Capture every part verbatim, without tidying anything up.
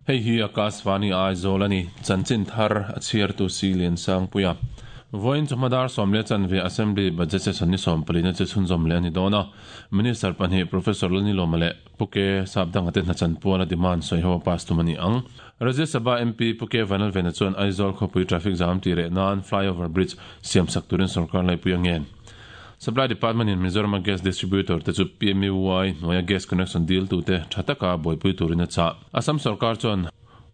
Hei hi Akashvani Aizawl ani chanchin thar a chhiar tu si lian sang puia voin chumadar somle chanve assembly budget session ni som palina che chhunzawm le ani dona minister panhi professor Lani Lomale puke sapdang ate na chanpuana demand soi ho pass tu mani ang Rajya Sabha M P Puke Vanal Vena chuan Aizawl khawpui traffic jam ti re nan flyover bridge siam sak turin sarkar lai pui angen Supply Department in Mizoram gas distributor te chu P M U Y noya gas connection deal tu te thataka boipui turin a cha Assam sarkar chuan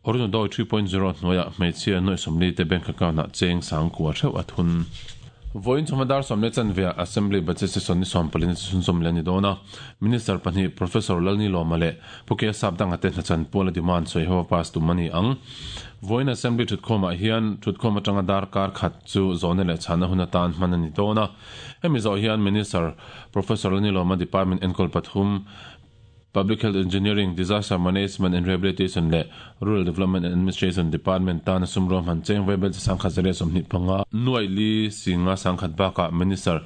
Orunodoi three point zero noya hmeichhia noi somli te bank account na cheng sang kwa theu athun voin chumadar somle chanvia assembly budget session ni sompalin chhunzawm le ni dona minister panhi professor Lalni Lomale puke sapdang ate na chan pula demand soi ho pass tu mani ang voin assembly thutkhoma hian thutkhoma tanga dar kar khat chu zone le chana huna tan manani dona hemi zo hian minister professor Lalni Loma department enkol pathum Public Health Engineering, Disaster Management and Rehabilitation le Rural Development and Administration Department tan sumrom han cheng webel sangkhat zare somni panga nuai li singa sangkhat baka minister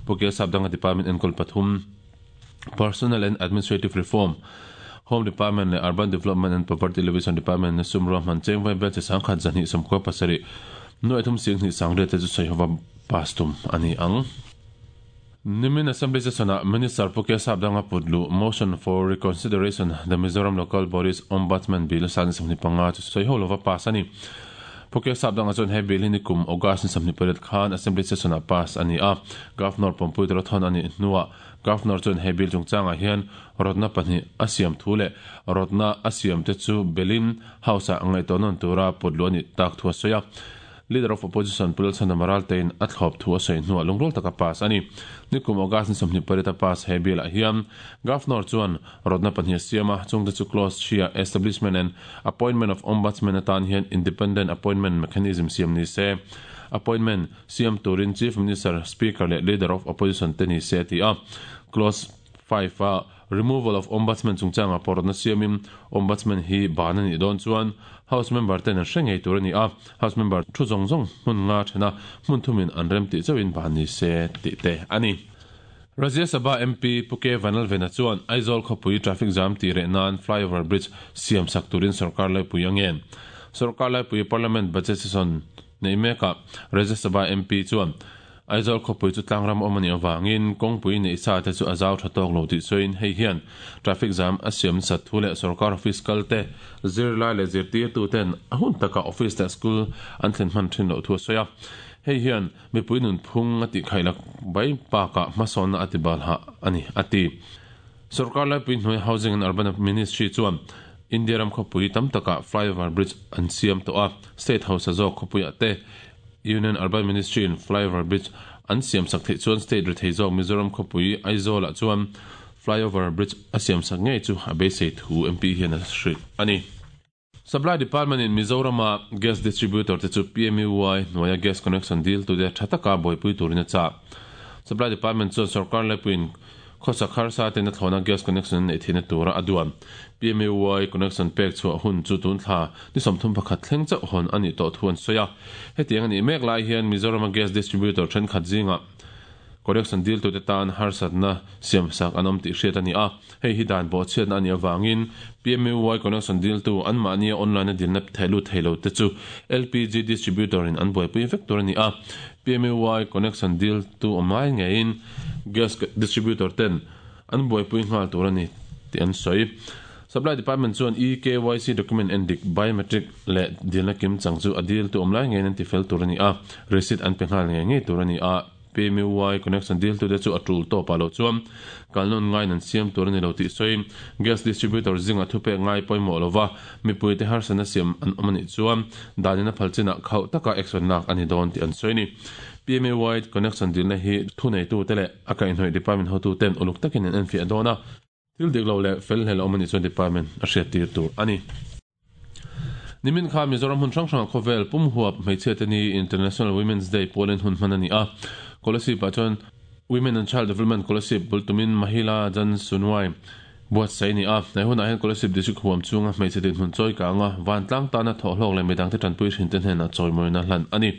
Puke Sapdanga Department enkol pathum Personnel and Administrative Reform Home Department le Urban Development and Poverty Alleviation Department sumrom han cheng webel sangkhat zani somko pasari nuai thum sing ni sangre te chu soihova pastum ani ang Nimin Assembly Session Minister Puke Sapdanga Pudlu motion for reconsideration the Mizoram Local Bodies Ombudsman Bill san samni panga chu soi holova pass ani Puke Sapdanga chuan he bill ni kum August ni samni paret khan Assembly Session a pass ani a Governor Pompui Rothon ani nuwa Governor chuan he bill chungchanga hian rodna pahnih a siam thule rodna a siam te chu Belin House a ngai tonon tura pudlu ani tak thua soya Leader of Opposition Pulal Chanamaral tein a thlop thu a sawi hnuah lungrul taka pass ani nikum August ni sawmhnih pariat a pass he bill ah hian Governor chuan rodna pahnih a siam a chungte chu clause three establishment and appointment of ombudsman atan hian independent appointment mechanism siam ni se appointment siam turin Chief Minister Speaker leh Leader of Opposition te ni se ti a clause five a removal of ombudsman chungchanga porna siamin ombudsman hi banani don chuan house member ten an hrengei tur ani a house member thu zong zong hmun nga thena hmun thumin an rem ti chawin bani se ti te ani Rajya Sabha M P Puke Vanal Vena chuan Aizawl khawpui traffic jam ti re nan flyover bridge siam sak turin sarkar lai pui angen sarkar lai pui parliament budget session nei meka Rajya Sabha M P chuan Aizawl khawpui chu tlangram awmani awangin kawngpui nei sa te chu a zau tha tawk lo tih sawiin hei hian traffic jam a siam sat thu leh sarkar office kal te zirlai leh zirtir tu ten a hun taka office te school an thlen hman thin loh thu a sawi a hei hian mipui nun phung a tih khailak bai pakah hmasawnna a ti bal ha ani a ti sarkar laipui hnuai housing and urban ministry chuan India ram khawpui tam taka flyover bridge an siam tawh a state house a zawk khawpui ah te Union Urban Ministry in flyover bridge an siam sak theih chuan state rethei zawk Mizoram khawpui Aizawl ah chuan flyover bridge a siam sak ngei chu a beisei thu M P hian a hrilh ani Supply Department in Mizoram a gas distributor te chu P M U Y hnuaia gas connection deal tu te tha taka buaipui turin a chah Supply Department chuan sarkar laipuiin khawsak harsa ten a thlawna gas connection nei theihna tura a duan P M U Y connection pek chhuah hun chu tun thla ni sawmthum pakhat thleng chauh hawn ani tawh thu an sawi a hetiang ani mek lai hian Mizoram a gas distributor thenkhat zinga connection deal tu te tan harsatna siam sak an awm tih hriat ani a hei hi dan pawh chhiatna ani awangin P M U Y connection deal tu an mahni online a dilna theilu theilo te chu L P G distributor in an buaipui vek tur ani a P M U Y connection deal tu awm lai ngeiin gas distributor ten an buaipui nghal tur ani tih an sawi Supply Department chuan E K Y C document endik biometric le dilna kim chang chu a deal tu awm lai ngeiin an ti fel tur ani a receipt an pe nghal ngei ngei tur ani a P M U Y connection deal tu te chu a tul tawp a lo chuan kalnon ngai nan siam tur ani lo tih sawi gas distributor zinga thupe ngai pawimawh lova mipui te harsana siam an awm ani chuan danina phalchina khauh taka action lak ani dawn tih an sawi ni P M U Y connection deal na hi thu nei tu te leh a kaihhnawih department hotu ten uluk takin an enfiah dawn a thil dik lo leh fel hlel awm ani chuan department a hriat tir tur ani Nimin kha Mizoram hun hrang hrang khawvel pum huap hmeichhia te ni International Women's Day Poland hun hman ani a Kolasib ah chuan Women and Child Development Kolasib bultumin Mahila Jan Sunwai buat sai ni a nei hunah hian Kolasib district huam chunga hmeichhe din hun chawi ka anga vantlang tana thawhlawk leh midang te tanpui hrin te hnenah chawimawina hlan ani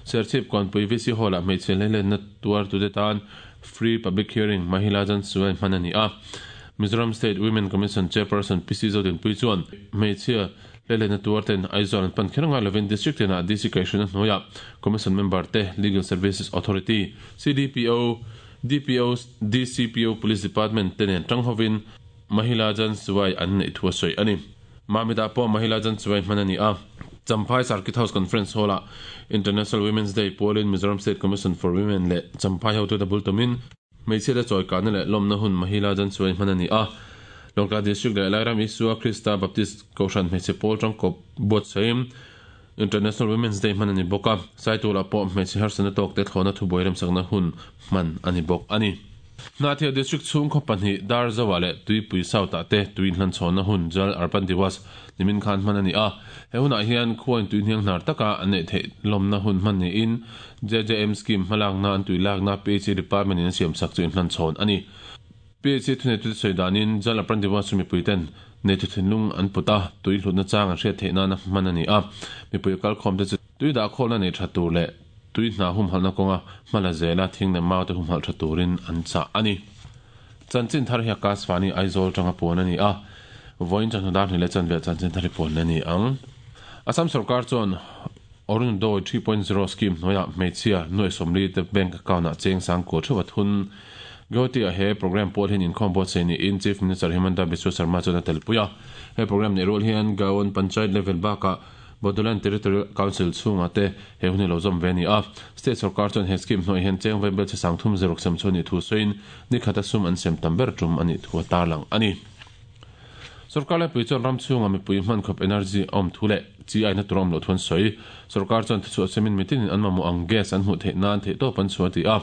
Serchhip kawnpui V C hall ah hmeichhe hleilenna tuar tu te tan free public hearing Mahila Jan Sunwai hman ani a Mizoram State Women Commission Chairperson P C Zodin pui chuan hmeichhia Lelena tuarten Aizawl an pan kher ngai lovin district tina D C kaihhruaina hnuaiah Commission member te, Legal Services Authority, C D P O, D P O, D C P O, Police Department te nen tang hovin Mahila Jan Suwai an nei thu a sawi ani. Mamita pawh Mahila Jan Suwai hman ani a. Champhai Circuit House Conference Hall ah International Women's Day pualin Mizoram State Commission for Women leh Champhai hotu te bul tumin hmeichhia te chawi kahna leh lawmna hun Mahila Jan Suwai hman ani a. Lawngtlai District leh Lairam Isua Krista Baptist Kohhran hmeichhe pawl tangkawp buatsaih International Women's Day hman ani bawk a. Saitulah pawh hmeichhe harsatna tawk te thlawhna thubuai remsakna hun hman ani bawk ani. Hnahthial District chhung khaw pahnih Darzoa leh Tuipui South ah te tui inhlanchhawnna hun Jal Arpan Diwas nimin khan hman ani a. He hunah hian khuain tui hniang hnar taka an neih theih lawmna hun hman niin J J M scheme hmalakna an tui lakna P H E Department in an siamsak chu inhlanchhawn ani. P H E thuneitu te sawi danin Jal Arpan Diwas chu mipui ten neitu thinlung an put a, tui hlutna chang an hriat theih nana hman ani a. Mipui kalkhawm te chu tui dah khawlna nei tha tur leh tui hna humhalhna kawnga hmala zela thing leh mau te humhalh tha turin an chah ani. Chanchin thar hi Akashvani Aizawl tanga puan ani a. Vawiin chawhnu dar hnih leh chanve chanchin thar hi puan ani ang. Assam Sarkar chuan Orunodoi three point zero scheme hnuaiah hmeichhia nuai sawmli te bank account ah cheng sang kua theuh a thun. Guwahati ah he program pawl hian inkhawm buatsaih niin Chief Minister Himanta Biswa Sarma chuan a telpui a. He program neih rual hian Gaon Panchayat level bakah Bodoland Territorial Council chhungah te he hun hi lo zawm ve ani a. State Sarkar chuan he scheme hnuai hian cheng vaibel che sang thum zeruk sem chu anih thu sawiin ni khata sum an sem tam ber tum anih thu a tarlang ani. Sarkar laipui chuan ram chhunga mipui hman khawp energy a awm thu leh chi aina tur a awm loh thu an sawi. Sarkar chuan thuchhuah semin mitinin an mamawh ang gas an hmuh theih nan theih tawp an chhuah ti a.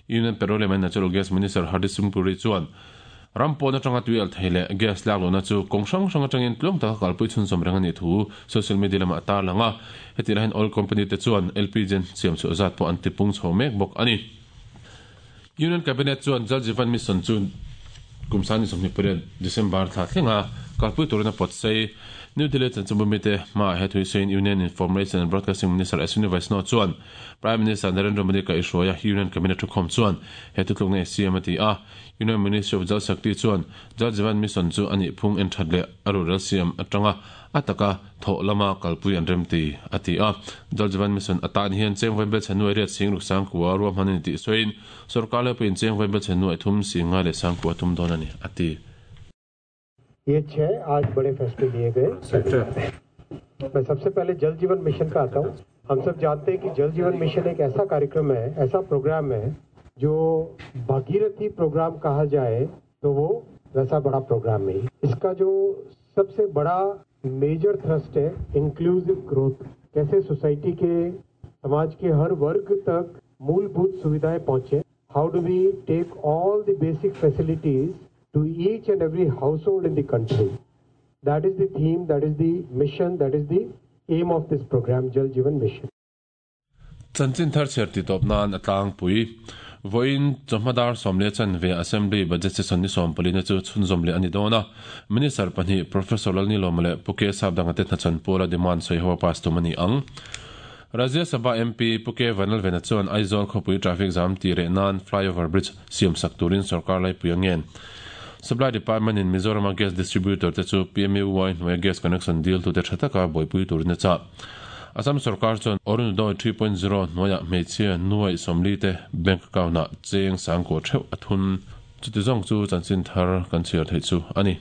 Union Petroleum and Natural Gas Minister Hardeep Singh Puri chuan ram pawn atanga tui al thei leh gas lak lohna chu kawng hrang hrang atangin tluang taka kalpui chhunzawm reng ani thu social media lamah a tarlang a. Heti lahin oil company te chuan L P G siam chhuah zat pawh an tipung chho mek bawk ani. Union Cabinet chuan Jal Jeevan Mission chu kum sani sawmhnih pariat December thla thlenga kalpui turin a pawt sei. New Delhi chanchinbumi te hmaah he thui sawiin Union Information and Broadcasting Minister Ashwini Vaishnaw chuan Prime Minister Narendra Modi ka ihruai a Union Cabinet thukhawm chuan he thutluk nei siam a ti a. Union Ministry of Jal Shakti chuan Jal Jeevan Mission chu anih phung en that leh a rural siam atanga a taka thawh lama kalpui an rem ti a ti a. Jal Jeevan Mission atan hian cheng vaibel chhe nuai riat sing ruk sang kua ruahman ani tih sawiin sarkar laipui in cheng vaibel chhe nuai thum sing nga leh sang kua tum dawn ani a ti. ये छह आज बड़े फैसले लिए गए। मैं सबसे पहले जल जीवन मिशन का आता हूँ। हम सब जानते हैं कि जल जीवन मिशन एक ऐसा कार्यक्रम है, ऐसा प्रोग्राम है जो भागीरथी प्रोग्राम कहा जाए तो वो वैसा बड़ा प्रोग्राम नहीं। इसका जो सबसे बड़ा मेजर थ्रस्ट है इंक्लूसिव ग्रोथ, कैसे सोसाइटी के, समाज के हर वर्ग तक मूलभूत सुविधाएं पहुंचे। How do we take all the basic facilities to each and every household in the country. That is the theme, that is the mission, that is the aim of this program, Jal Jeevan Mission. Chanchin thar chher ti tawp nan a tlangpui. Vawiin chawhma dar sawm leh chanve Assembly Budget Session ni sawm palina chu chhunzawm leh ani dawn a. Minister pahnih Professor Lalni Lawma leh Pu K Sapdanga te hnachan pawla demand sawi ho a pass tum ani ang. Rajya Sabha M P Pu K Vanlalvena chuan Aizawl khawpui traffic jam ti reh nan flyover bridge siam sak turin sarkar laipui a ngen. Supply Department in Mizoram gas distributor te chu P M U Y hnuaia gas connection deal tu te tha taka buaipui turin a chah. Assam Sarkar chuan Orunodoi three point zero hnuaiah hmeichhia nuai sawmli te bank account ah cheng sang kua theuh a thun. Chuti zawng chu chanchin thar kan chhiar theih chu ani.